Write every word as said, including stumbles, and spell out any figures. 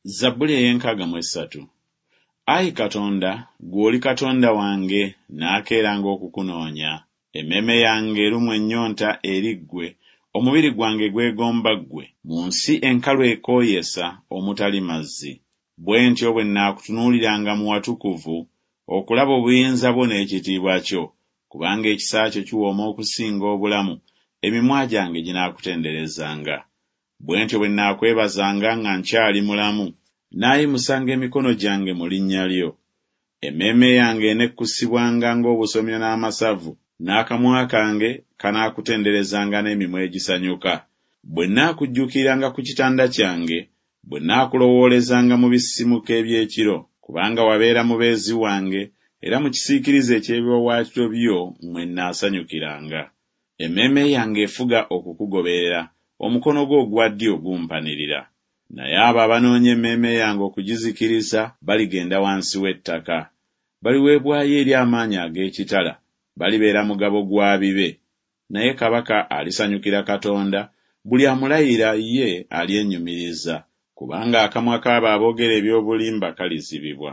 Zabbuli ey'enkaaga mu essatu. Ayi Katonda, ggwe oli Katonda wange, naakeeranga okukunoonya. Emmeeme yange erumwa ennyonta eri ggwe, omubiri gwange gwegomba ggwe, mu nsi enkalu ekooyesa, omutali mazzi. Bwe ntyo bwe nnaakutunuuliranga mu watukuvu, okulaba obuyinza bwo n'ekitiibwa kyo. Kubanga ekisa kyo kiwooma okusinga obulamu, emimwa gyange ginaakutenderezanga. Bwe ntyo bwe nnaakwebazanga nga nkyali mulamu, nnaayimusanga emikono gyange mu linnya lyo. Emmeeme yange enekkusibwanga ng'obusomyo n'amasavu, n'akamwa kange kanaakutenderezanga n'emimwa egisanyuka. Bwe nnaakujjukiranga ku kitanda kyange, bwe nnaakulowoolezanga mu bisisimuka eby'ekiro. Kubanga wabeera mubeezi wange, era mu kisiikirize eky'ebiwaawaatiro byo mwe nnaasanyukiranga. Emmeeme yange efuga okukugoberera, omukono gwo ogwa ddyo gumpanirira. Naye abo abanoonya emmeeme yange okugizikiriza baligenda wansi w'ettaka. Baliweebwayo eri amaanyi ag'ekitala, balibeera mugabo gwa bibe. Naye kabaka alisanyukira Katonda, buli amulayira ye alyenyumiriza, kubanga akamwa k'abo aboogera eby'obulimba kalizibibwa.